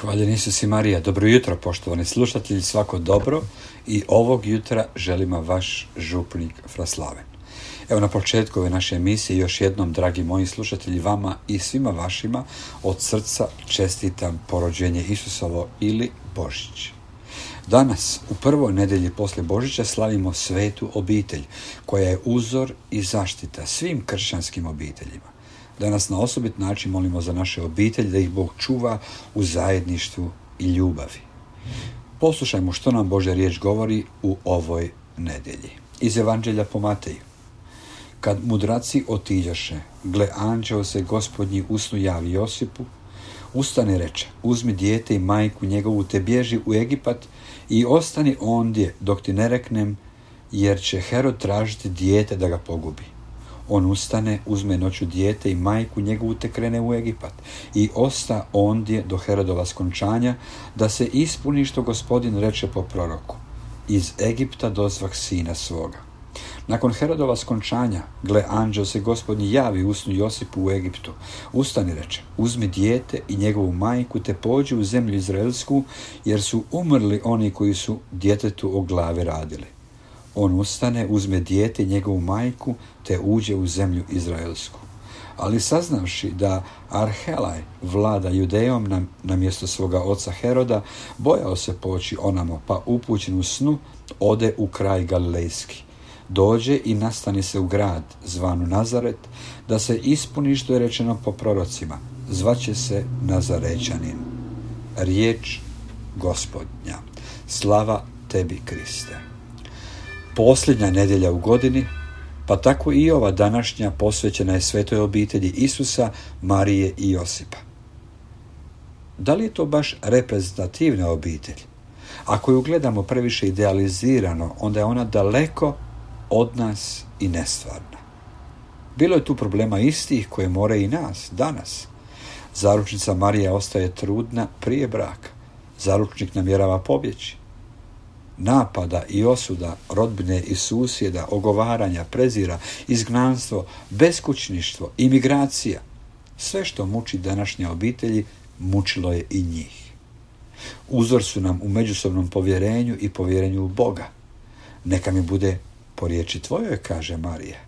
Hvaljen Isus i Marija. Dobro jutro, poštovani slušatelji, svako dobro, i ovog jutra želima vaš župnik Fraslaven. Evo, na početku ove naše emisije još jednom, dragi moji slušatelji, vama i svima vašima od srca čestitam porođenje Isusovo ili Božić. Danas, u prvoj nedelji poslije Božića, slavimo svetu obitelj, koja je uzor i zaštita svim kršćanskim obiteljima. Danas na osobit način molimo za naše obitelji, da ih Bog čuva u zajedništvu i ljubavi. Poslušajmo što nam Božja riječ govori u ovoj nedelji. Iz Evanđelja po Mateju. Kad mudraci otiđoše, gle, anđeo se Gospodnji u snu javi Josipu, ustane, reče, uzmi dijete i majku njegovu, te bježi u Egipat i ostani ondje dok ti ne reknem, jer će Herod tražiti dijete da ga pogubi. On ustane, uzme noću dijete i majku njegovu, te krene u Egipat i osta ondje do Herodova skončanja, da se ispuni što Gospodin reče po proroku. Iz Egipta dozvah sina svoga. Nakon Herodova skončanja, gle, anđeo se Gospodnji javi u snu Josipu u Egiptu. Ustani, reče, uzmi dijete i njegovu majku, te pođi u zemlju izraelsku, jer su umrli oni koji su djetetu o glavi radili. On ustane, uzme dijete i njegovu majku, te uđe u zemlju izraelsku. Ali saznavši da Arhelaj vlada Judejom na mjesto svoga oca Heroda, bojao se poći onamo, pa upućen u snu ode u kraj Galilejski. Dođe i nastani se u grad zvanu Nazaret, da se ispuni što je rečeno po prorocima, zvaće se Nazarećanin. Riječ Gospodnja. Slava tebi, Kriste. Posljednja nedjelja u godini, pa tako i ova današnja, posvećena je svetoj obitelji Isusa, Marije i Josipa. Da li je to baš reprezentativna obitelj? Ako ju gledamo previše idealizirano, onda je ona daleko od nas i nestvarna. Bilo je tu problema istih koje more i nas danas. Zaručnica Marija ostaje trudna prije braka. Zaručnik namjerava pobjeći. Napada i osuda rodbine i susjeda, ogovaranja, prezira, izgnanstvo, beskućništvo, imigracija. Sve što muči današnje obitelji, mučilo je i njih. Uzor su nam u međusobnom povjerenju i povjerenju u Boga. Neka mi bude po riječi tvojoj, kaže Marija.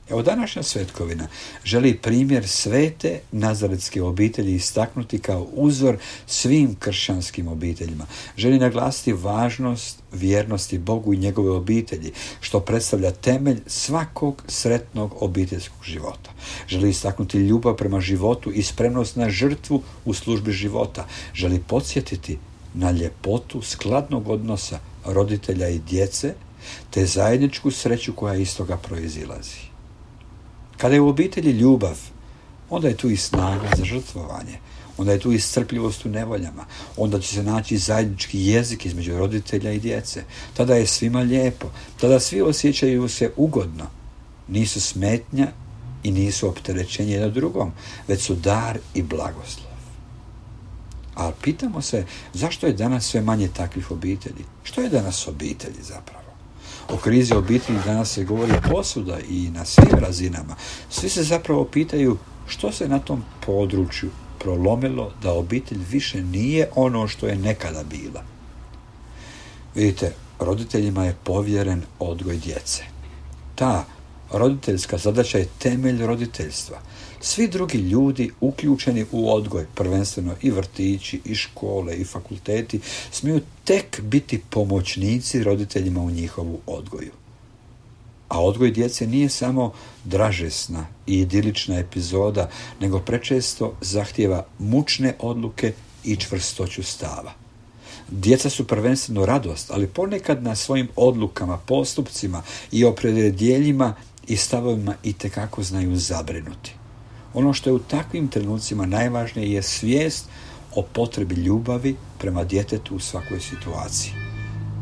Evo, današnja svetkovina želi primjer svete nazaretske obitelji istaknuti kao uzor svim kršćanskim obiteljima. Želi naglasiti važnost vjernosti Bogu i njegove obitelji, što predstavlja temelj svakog sretnog obiteljskog života. Želi istaknuti ljubav prema životu i spremnost na žrtvu u službi života. Želi podsjetiti na ljepotu skladnog odnosa roditelja i djece, te zajedničku sreću koja iz toga proizilazi. Kada je u obitelji ljubav, onda je tu i snaga za žrtvovanje, onda je tu i strpljivost u nevoljama, onda će se naći zajednički jezik između roditelja i djece. Tada je svima lijepo, tada svi osjećaju se ugodno. Nisu smetnja i nisu opterećenje jedno drugom, već su dar i blagoslov. Ali pitamo se, zašto je danas sve manje takvih obitelji? Što je danas obitelji zapravo? O krizi obitelji danas se govori posuda i na svim razinama. Svi se zapravo pitaju što se na tom području prolomilo da obitelj više nije ono što je nekada bila. Vidite, roditeljima je povjeren odgoj djece. Ta roditeljska zadaća je temelj roditeljstva. Svi drugi ljudi uključeni u odgoj, prvenstveno i vrtići, i škole, i fakulteti, smiju tek biti pomoćnici roditeljima u njihovu odgoju. A odgoj djece nije samo dražesna i idilična epizoda, nego prečesto zahtijeva mučne odluke i čvrstoću stava. Djeca su prvenstveno radost, ali ponekad na svojim odlukama, postupcima i opredjeljenjima i stavovima itekako znaju zabrinuti. Ono što je u takvim trenucima najvažnije je svijest o potrebi ljubavi prema djetetu u svakoj situaciji.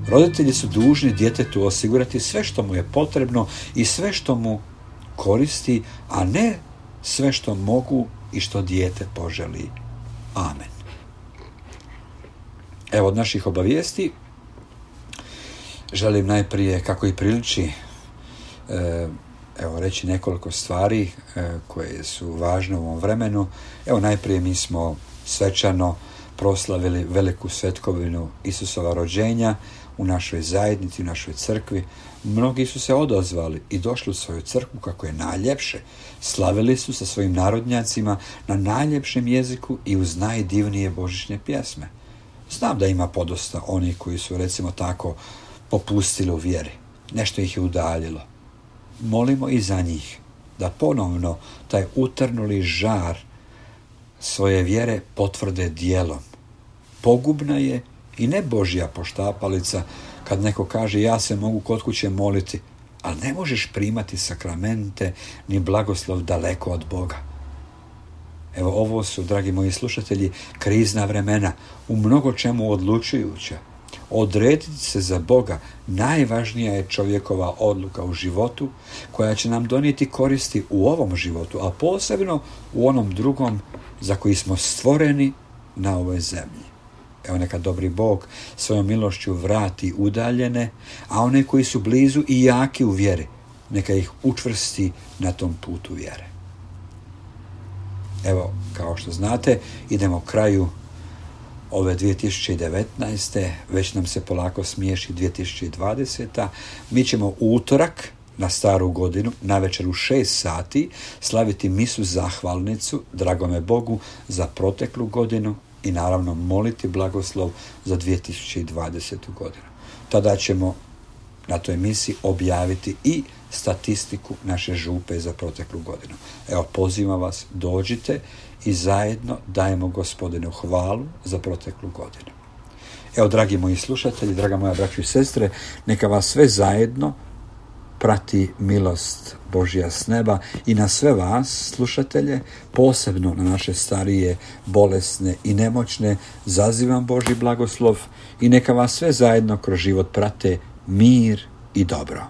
Roditelji su dužni djetetu osigurati sve što mu je potrebno i sve što mu koristi, a ne sve što mogu i što dijete poželi. Amen. Evo, od naših obavijesti želim najprije, kako i priliči, reći nekoliko stvari koje su važne u ovom vremenu. Najprije mi smo svečano proslavili veliku svetkovinu Isusova rođenja u našoj zajednici, u našoj crkvi. Mnogi su se odazvali i došli u svoju crkvu kako je najljepše. Slavili su sa svojim narodnjacima na najljepšem jeziku i uz najdivnije božićne pjesme. Znam da ima podosta onih koji su, recimo tako, popustili u vjeri. Nešto ih je udaljilo. Molimo i za njih da ponovno taj utrnuli žar svoje vjere potvrde djelom. Pogubna je i ne Božja poštapalica kad neko kaže ja se mogu kod kuće moliti, ali ne možeš primati sakramente ni blagoslov daleko od Boga. Evo, ovo su, dragi moji slušatelji, krizna vremena, u mnogo čemu odlučujuća. Odrediti se za Boga najvažnija je čovjekova odluka u životu koja će nam donijeti koristi u ovom životu, a posebno u onom drugom za koji smo stvoreni na ovoj zemlji. Evo, neka dobri Bog svojom milošću vrati udaljene, a one koji su blizu i jaki u vjeri, neka ih učvrsti na tom putu vjere. Evo, kao što znate, idemo kraju ove 2019. Već nam se polako smiješi 2020. Mi ćemo u utorak na staru godinu, navečer u 6 sati, slaviti misu zahvalnicu dragome Bogu za proteklu godinu i naravno moliti blagoslov za 2020. godinu. Tada ćemo na toj misi objaviti i statistiku naše župe za proteklu godinu. Evo, pozivam vas, dođite i zajedno dajemo Gospodinu hvalu za proteklu godinu. Evo, dragi moji slušatelji, draga moja braćo i sestre, neka vas sve zajedno prati milost Božja s neba i na sve vas, slušatelje, posebno na naše starije, bolesne i nemoćne, zazivam Božji blagoslov i neka vas sve zajedno kroz život prate mir i dobro.